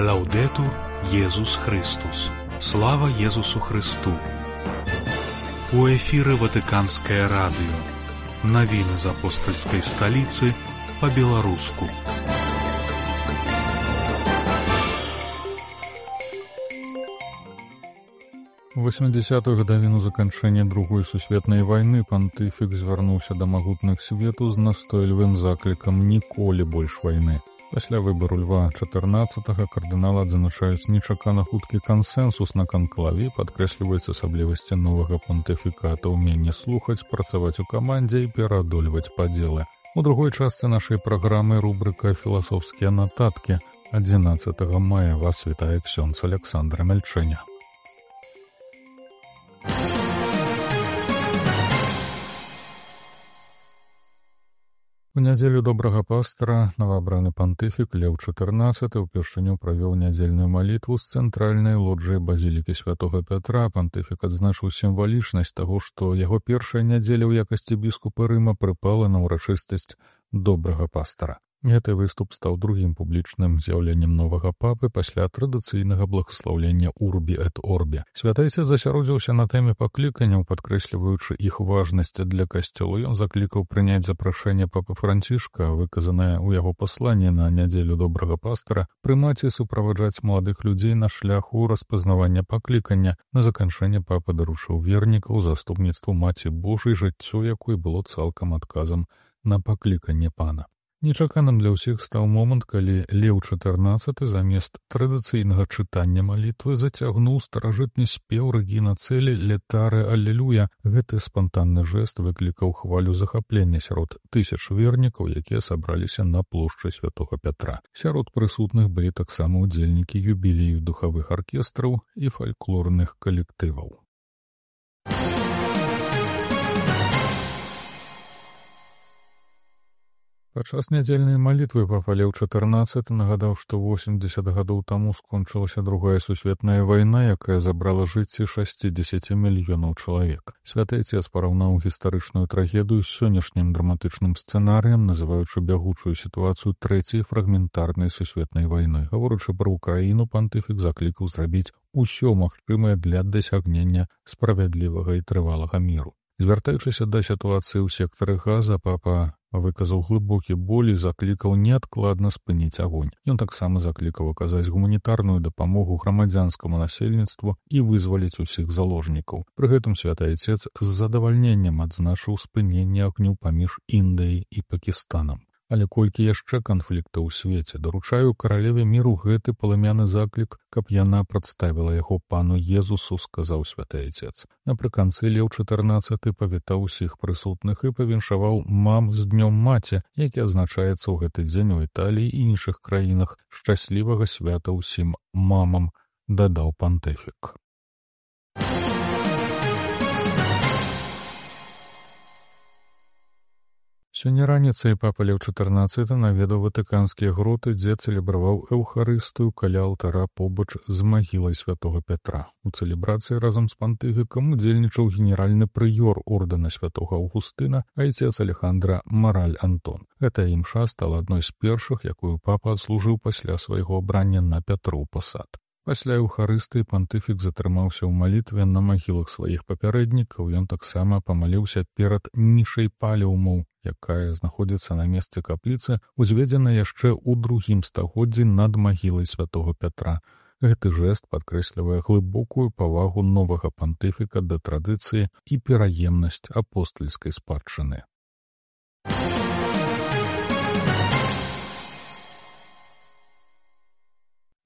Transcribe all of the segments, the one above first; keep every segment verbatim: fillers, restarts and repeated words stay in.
Лаўдетур Езус Христус. Слава Езусу Христу. У эфіры Ватыканскае радыё. Навіны з апостальскай сталіцы па-беларуску. У восьмідзясятых гадавіну заканчэння другой сусветнай вайны пантыфік звярнуўся да магутных свету з настойлівым заклікам ніколі больш вайны. Пасля выбару Льва чатырнаццатага кардыналы адзначаюць нечакана хуткі кансэнсус на канклаве, падкрэсліваюць асаблівасці новага пантыфіката, ўменне слухаць, працаваць у камандзе і пераадольваць падзелы. У другой частцы нашай праграмы рубрыка «Філасофскія нататкі». адзінаццатага мая вас вітае ксёндз Аляксандр Мяльчэня. У нядзелю добрага пастара новаабраны пантыфік Леў чатырнаццаты ўпершыню правёў нядзельную малітву з цэнтральнай лоджыі базілікі святога Пятра. Пантыфік адзначыў сімвалічнасць таго, што яго першая нядзеля ў якасці біскупа Рыма прыпала на ўрачыстасць добрага пастара. Гэты выступ стаў другім публічным з'яўленнем новага папы пасля традыцыйнага благаслаўлення «Урбі эт Орбі». Святайцец засяродзіўся на тэме пакліканняў, падкрэсліваючы іх важнасць для касцёла. Ён заклікаў прыняць запрашэнне папы Францішка, выказанае ў яго пасланні на нядзелю добрага пастара, прымаць і суправаджаць маладых людзей на шляху распазнавання паклікання. На заканчэнне папа даручыў вернікаў заступніцтву Маці Божай, жыццё якой было цалкам адказам на пакліканне пана. Нечаканым для ўсіх стаў момант, калі Леў чатырнаццаты замест традыцыйнага чытання малітвы зацягнуў старажытны спеў Рэгіна Цэлі «Летаре Аллелуя». Гэты спантанны жэст выклікаў хвалю захаплення сярод тысяч вернікаў, якія сабраліся на плошчы святога Пятра. Сярод прысутных былі таксама ўдзельнікі юбілею духавых аркестраў і фальклорных калектываў. Падчас нядзельнай малітвы папа Леў чатырнаццаты нагадаў, што восемдзесят гадоў таму скончылася другая сусветная вайна, якая забрала жыцці шасцідзесяці мільёнаў чалавек. Святайцец параўнаў гістарычную трагедыю з сённяшнім драматычным сцэнарыем, называючы бягучую сітуацыю трэцяй фрагментарнай сусветнай вайной. Гаворачы пра Украіну, пантыфік заклікаў зрабіць усё магчымае для дасягнення справядлівага і трывалага міру. Звяртаючыся да сітуацыі ў сектары Газа, папа выказаў глыбокі боль і заклікаў неадкладна спыніць агонь. Ён таксама заклікаў аказаць гуманітарную дапамогу грамадзянскаму насельніцтву і вызваліць усіх заложнікаў. Пры гэтым святайцец з задавальненнем адзначыў спыненне агню паміж Індыяй і Пакістанам. Але колькі яшчэ канфліктаў у свеце, даручаю каралеве міру гэты палымяны заклік, каб яна прадставіла яго пану Езусу, сказаў святайцец. Напрыканцы Леў чатырнаццаты павітаў усіх прысутных і павіншаваў мам з днём маці, які адзначаецца ў гэты дзень у Італіі і іншых краінах. Шчаслівага свята ўсім мамам, дадаў пантыфік. Сёння раніцай папа Леў чатырнаццаты наведаў ватыканскія гроты, дзе цэлебраваў эўхарыстыю каля алтара побач з магілай святога Пятра. У цэлебрацыі разам з пантыфікам удзельнічаў генеральны прыёр ордэна святога Аўгустына, айцец Алехандра Мараль Антон. Гэтая імша стала адной з першых, якую папа адслужыў пасля свайго абрання на Пятров пасад. Пасля эўхарыстыі пантыфік затрымаўся ў малітве на магілах сваіх папярэднікаў. Ён таксама памаліўся перад нішай палеумаў, якая знаходзіцца на месцы капліцы, узведзена яшчэ ў другім стагоддзі над магілай святога Пятра. Гэты жэст падкрэслівае глыбокую павагу новага пантыфіка да традыцыі і пераемнасць апостальскай спадчыны.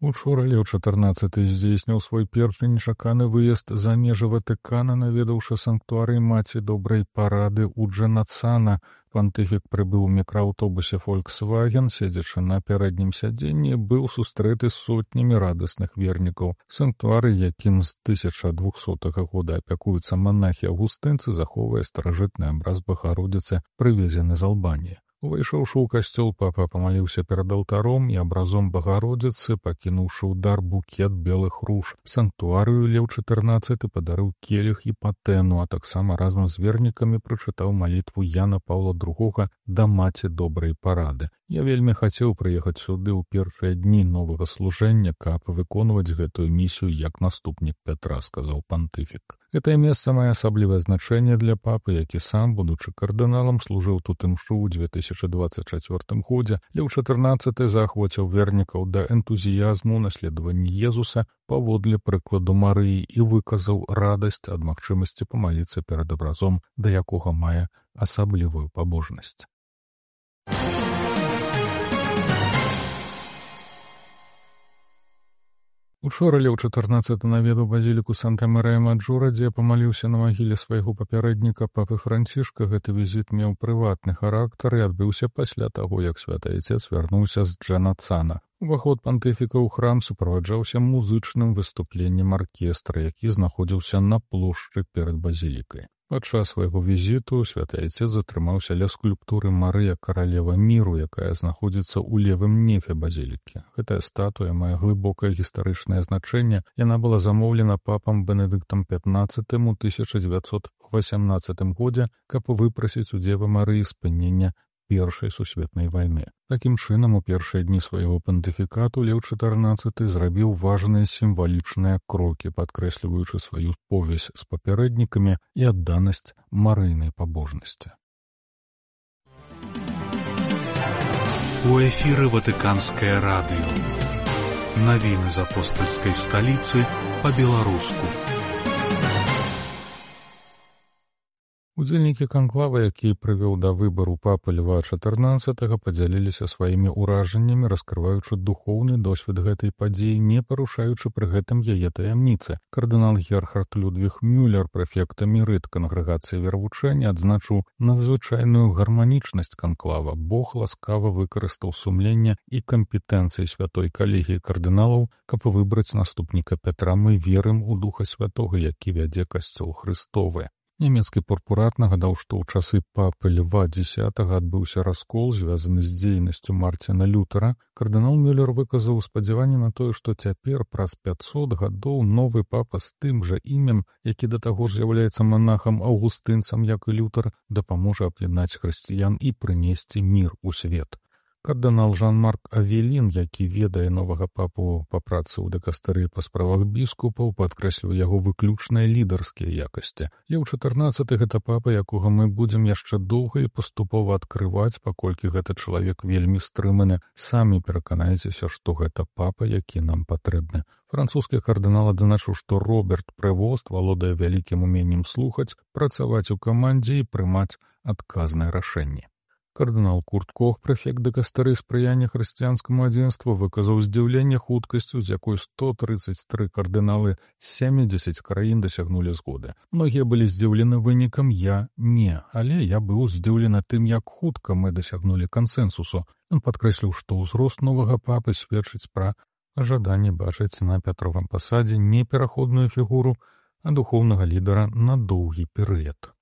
Учора Леў чатырнаццаты здзейсніў свой першы нечаканы выезд за межы Ватыкана, наведаўшы санктуарый Маці Добрай Парады ў Джэнацана. Пантыфік прыбыў у мікрааўтобусе «Фольксваген», седзячы на пярэднім сядзенні, быў сустрэты сотнямі радасных вернікаў. Санктуары, якім з тысяча двухсотага года апякуюцца манахі-аўгустынцы, захоўвае старажытны абраз Багародзіцы, прывезены з Албаніі. Увайшоўшы ў касцёл, папа памаліўся перад алтаром і абразом Багародзіцы, пакінуўшы ў дар букет белых руж. Санктуарыю Леў чатырнаццаты падарыў келіх і патэну, а таксама разам з вернікамі прачытаў малітву Яна Паўла другога да маці добрай парады. Я вельмі хацеў прыехаць сюды ў першыя дні новага служэння, каб выконваць гэтую місію як наступнік Пятра, сказаў пантыфік. Гэтае месца мае асаблівае значэнне для папы, які сам, будучы кардыналам, служыў тут імшу ў дзве тысячы дваццаць чацвёртым годзе. Леў чатырнаццаты заахвоціў вернікаў да энтузіязму наследавання Езуса паводле прыкладу Марыі і выказаў радасць ад магчымасці памаліцца перад абразом, да якога мае асаблівую пабожнасць. Учора Леў чатырнаццаты наведаў базіліку Санта-Марыя-Маджора, дзе памаліўся на магіле свайго папярэдніка папы Францішка. Гэты візіт меў прыватны характар і адбыўся пасля таго, як святы айцец вярнуўся з Джанацана. Уваход пантыфіка ў храм суправаджаўся музычным выступленнем аркестра, які знаходзіўся на плошчы перад базілікай. Падчас свайго візіту святы айцец затрымаўся ля скульптуры Марыя каралева міру, якая знаходзіцца ў левым нефе базілікі. Гэтая статуя мае глыбокае гістарычнае значэнне. Яна была замоўлена папам Бенедыктам пятнаццатым у тысяча дзевяцьсот васямнаццатым годзе, каб выпрасіць у Дзевы Марыі спынення Першай сусветнай вайны. Такім чынам, у першыя дні свайго пантыфікату Леў чатырнаццаты зрабіў важныя сімвалічныя крокі, падкрэсліваючы сваю повязь з папярэднікамі і адданасць марыйнай пабожнасці. У эфіры Ватыканскае радыё. Навіны з апостальскай сталіцы па-беларуску. Удзельнікі канклава, які прывёў да выбару папы Льва чатырнаццатага, падзяліліся сваімі ўражаннямі, раскрываючы духоўны досвед гэтай падзеі, не парушаючы пры гэтым яе таямніцы. Кардынал Герхард Людвіг Мюллер, прэфект эмерыт кангрэгацыі вервучэння, адзначыў надзвычайную гарманічнасць канклава. Бог ласкава выкарыстаў сумленне і кампетэнцыі святой калегіі кардыналаў, каб выбраць наступніка Пятра. Мы верым у Духа Святога, які вядзе касцёл Христовы. Нямецкі пурпурат нагадаў, што ў часы папы Льва дзесятага адбыўся раскол, звязаны з дзейнасцю Марціна Лютера. Кардынал Мюллер выказаў спадзяванне на тое, што цяпер, праз пяцьсот гадоў, новы папа з тым жа імем, які да таго ж з'яўляецца манахам аўгустынцам, як і Лютер, дапаможа аб'яднаць хрысціян і прынесці мір у свет. Кардынал Жан-Марк Авелін, які ведае новага папу па працы ў дыкастэрыі па справах біскупаў, падкрэсліў яго выключныя лідарскія якасці. Леў чатырнаццаты гэта папа, якога мы будзем яшчэ доўга і паступова адкрываць, паколькі гэта чалавек вельмі стрыманы. Самі пераканаецеся, што гэта папа, які нам патрэбны. Французскі кардынал адзначыў, што Роберт Прэвост валодае вялікім уменнем слухаць, працаваць у камандзе і прымаць адказныя рашэнні. Кардынал Курт Кох, прэфект дыкастэрыі спрыяння хрысціянскаму адзінству, выказаў здзіўленне хуткасцю, з якой сто трыццаць тры кардыналы з сямідзесяці краін дасягнулі згоды. Многія былі здзіўлены вынікам, я не, але я быў здзіўлены тым, як хутка мы дасягнулі кансэнсусу. Ён падкрэсліў, што ўзрост новага папы сведчыць пра жаданне бачыць на Пятровым пасадзе не пераходную фігуру, а духоўнага лідара на доўгі перыяд.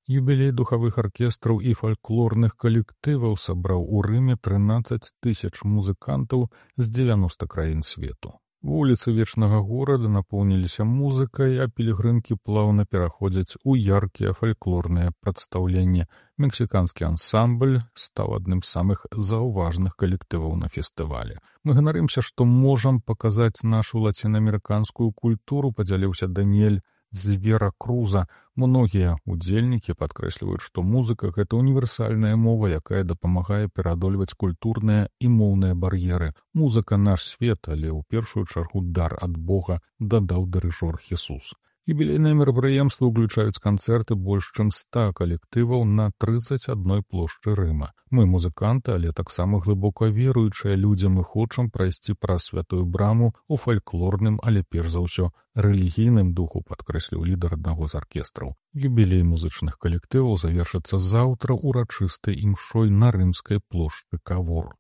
Юбілей духавых аркестраў і фальклорных калектываў сабраў у Рыме трынаццаць тысяч музыкантаў з дзевяноста краін свету. Вуліцы вечнага горада напоўніліся музыкай, а пілігрымкі плаўна пераходзяць у яркія фальклорныя прадстаўленні. Мексіканскі ансамбль стаў адным з самых заўважных калектываў на фестывалі. Мы ганарымся, што можам паказаць нашу лацінаамерыканскую культуру, падзяліўся Даніэль з Веракруза. Многія удзельнікі падкрэсліваюць, што музыка — гэта універсальная мова, якая дапамагае пераадольваць культурныя і моўныя бар'еры. Музыка — наш свет, але ў першую чаргу дар ад Бога, дадаў дырыжор Хесус. Юбілейныя мерапрыемствы ўключаюць канцэрты больш чым ста калектываў на трыццаць адной плошчы Рыма. Мы музыканты, але таксама глыбока веруючыя людзі, мы хочам прайсці праз святую браму у фальклорным, але перш за ўсё рэлігійным духу, падкрэсліў лідар аднаго з аркестраў. Юбілей музычных калектываў завершыцца заўтра урачыстай імшой на рымскай плошчы Кавор.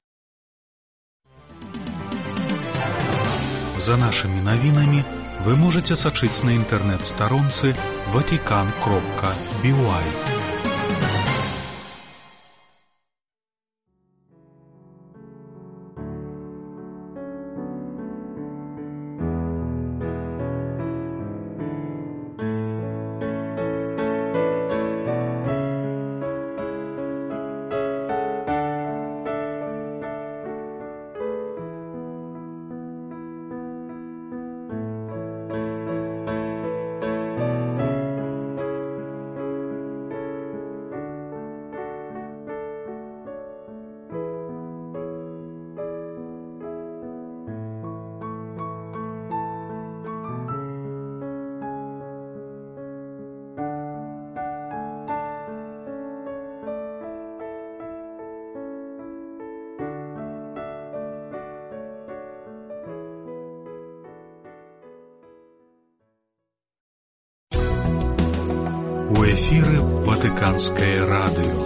За нашымі навінамі вы можете сачыць на інтэрнэт-старонцы ватикан кропка би уай. У эфіры Ватыканскае радыё.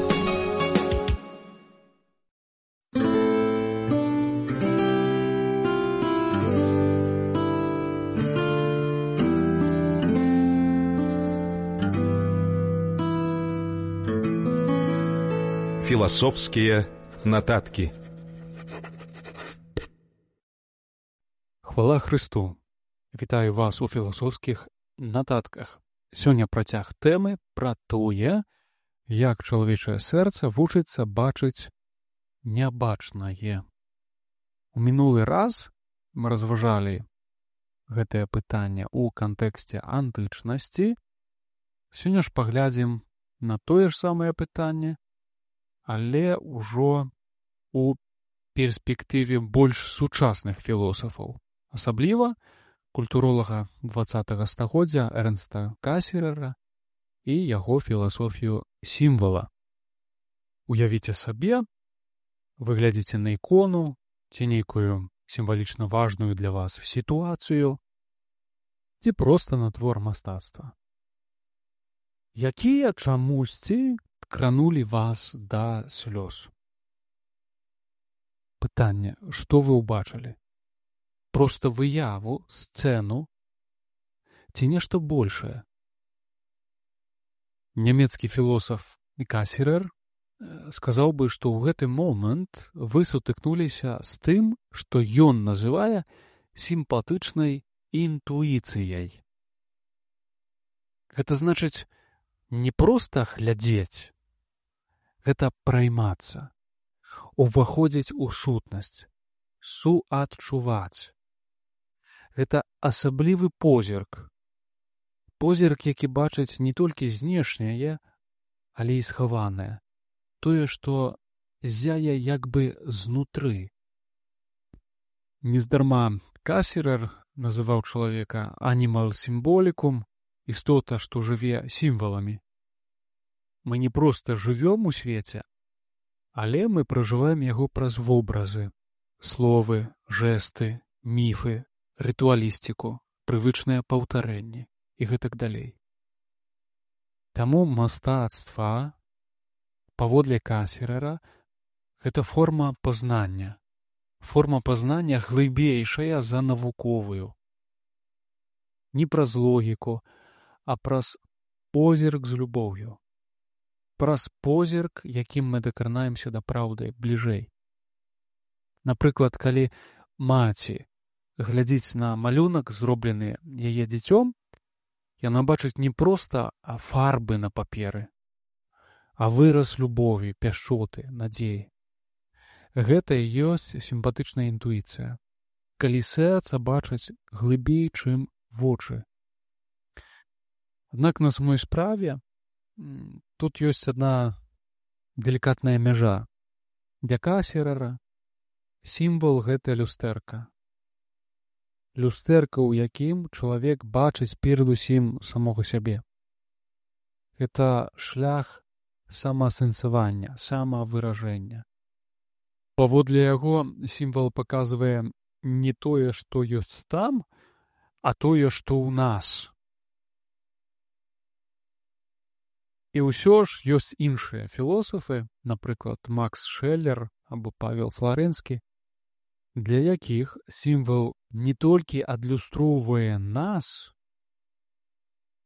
Філасофскія нататкі. Хвала Христу! Вітаю вас у філасофскіх нататках. Сёння працяг тэмы пра тое, як чалавечае сэрца вучыцца бачыць нябачнае. У мінулы раз мы разважалі гэтае пытанне ў кантэксце антычнасці. Сёння ж паглядзім на тое ж самае пытанне, але ўжо у перспектыве больш сучасных філосафаў. Асабліва культуролага дваццатага стагоддзя Эрнста Касерера і яго філасофію сімвала. Уявіце сабе, вы глядзіце на ікону ці нейкую сімвалічна важную для вас сітуацыю, ці проста на твор мастацтва, якія чамусьці кранулі вас да слёз. Пытанне, што вы ўбачылі? Проста выяву, сцэну ці нешта большае? Нямецкі філосаф Касерер сказаў бы, што ў гэты момант вы сутыкнуліся з тым, што ён называе сімпатычнай інтуіцыяй. Гэта значыць не проста глядзець, гэта праймацца, уваходзіць у сутнасць, суадчуваць. Гэта асаблівы позірк. Позірк, які бачыць не толькі знешняе, але і схаванае. Тое, што зяе як бы знутры. Нездарма Касерер называў чалавека animal symbolicum, істота, што жыве сімваламі. Мы не проста жывём у свеце, але мы пражываем яго праз вобразы, словы, жэсты, міфы, рытуалістыку, прывычныя паўтарэнні і гэтак далей. Таму мастацтва, паводле Касерера, гэта форма пазнання. Форма пазнання глыбейшая за навуковую. Не праз логіку, а праз позірк з любоўю. Праз позірк, якім мы дакранаемся да праўды бліжэй. Напрыклад, калі маці глядзіць на малюнак, зроблены яе дзіцём, яна бачыць не проста фарбы на паперы, а выраз любові, пяшчоты, надзеі. Гэта і ёсць сімпатычная інтуіцыя, калі сэрца бачыць глыбей, чым вочы. Аднак на самой справе тут ёсць адна делікатная мяжа. Для Касерера сімвал — гэта люстэрка. Люстэрка, у якім чалавек бачыць перадусім самога сябе. Гэта шлях самаасэнсавання, самавыражэння. Паводле яго сімвал паказвае не тое, што ёсць там, а тое, што ў нас. І ўсё ж ёсць іншыя філосафы, напрыклад, Макс Шэллер або Павел Фларэнскі, для якіх сімвал не толькі адлюстроўвае нас,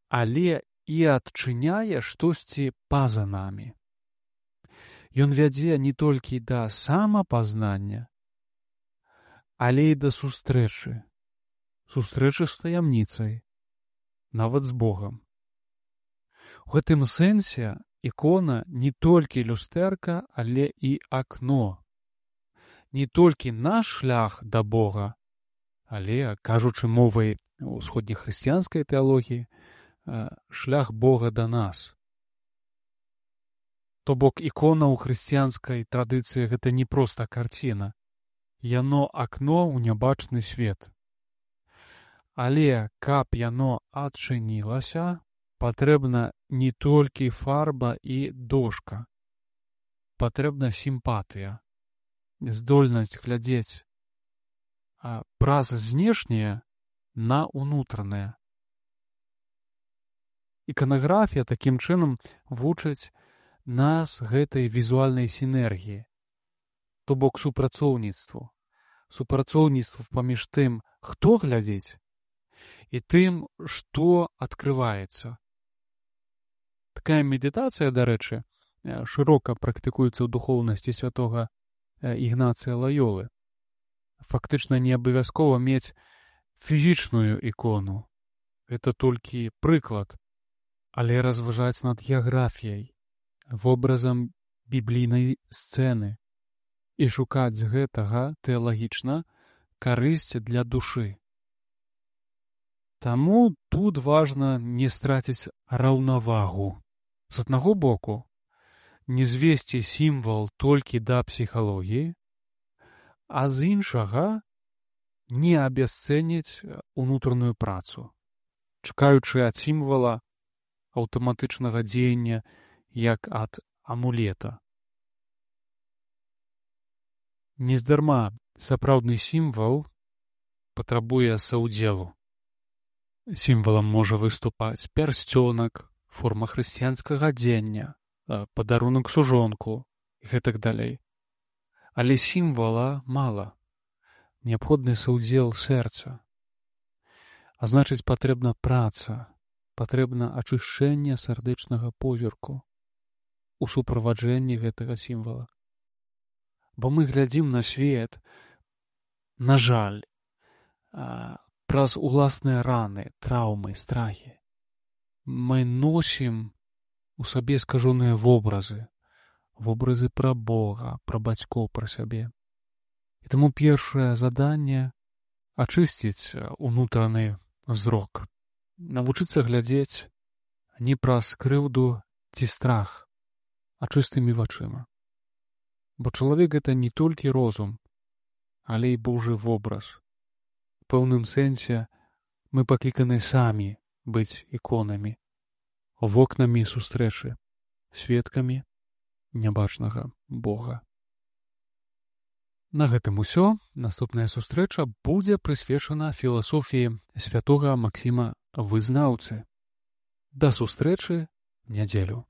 але і адчыняе штосьці па-за намі. Ён вядзе не толькі да самапазнання, але і да сустрэчы, сустрэчы з таямніцай, нават з Богам. У гэтым сэнсе ікона не толькі люстэрка, але і акно. Не толькі наш шлях да Бога, але, кажучы мовай усходнехрысціянскай тэалогіі, шлях Бога да нас. То бок ікона ў хрысціянскай традыцыі гэта не проста карціна. Яно акно ў нябачны свет. Але, каб яно адчынілася, патрэбна не толькі фарба і дошка. Патрэбна сімпатыя, здольнасць глядзець праз знешняе на ўнутранае. Іканаграфія такім чынам вучыць нас гэтай візуальнай сінергіі, то бок супрацоўніцтву, супрацоўніцтву паміж тым, хто глядзіць, і тым, што адкрываецца. Такая медытацыя, дарэчы, шырока практыкуецца ў духоўнасці святога Ігнацыя Лайолы. Фактычна не абавязкова мець фізічную ікону. Гэта толькі прыклад, але разважаць над геаграфіяй, вобразам біблійнай сцэны і шукаць з гэтага тэалагічна карысць для душы. Таму тут важна не страціць раўнавагу. З аднаго боку, не звесці сімвал толькі да псіхалогіі, а з іншага не абясцэніць унутраную працу, чакаючы ад сімвала аўтаматычнага дзеяння як ад амулета. Нездарма сапраўдны сімвал патрабуе саўдзелу. Сімвалам можа выступаць пярсцёнак, форма хрысціянскага адзення, падарунак сужонку і гэтак далей. Але сімвала мала. Неабходны саўдзел сэрца. А значыць, патрэбна праца, патрэбна ачышчэнне сардэчнага позірку у суправаджэнні гэтага сімвала. Бо мы глядзім на свет, на жаль, праз уласныя раны, траўмы, страхі. Мы носім у сабе скажоныя вобразы, вобразы пра Бога, пра бацькоў, пра сябе. І таму першае заданне — ачысціць унутраны зрок, навучыцца глядзець не праз крыўду ці страх, а чыстымі вачыма. Бо чалавек — гэта не толькі розум, але і Божы вобраз. У пэўным сэнсе мы пакліканы самі быць іконамі, вокнамі сустрэчы, сведкамі нябачнага Бога. На гэтым усё. Наступная сустрэча будзе прысвечана філасофіі святога Максіма Вызнаўцы. Да сустрэчы в нядзелю.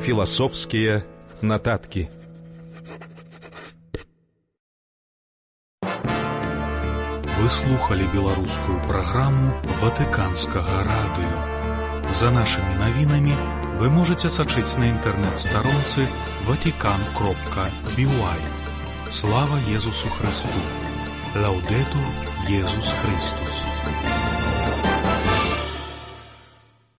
Философские нотатки. Вы слухали беларускую праграму Ватыканскага радыё. За нашымі навінамі вы можаце сачыць на інтэрнэт-старонцы ватикан кропка би уай. Слава Езусу Христу! Лаудетур Езус Христус!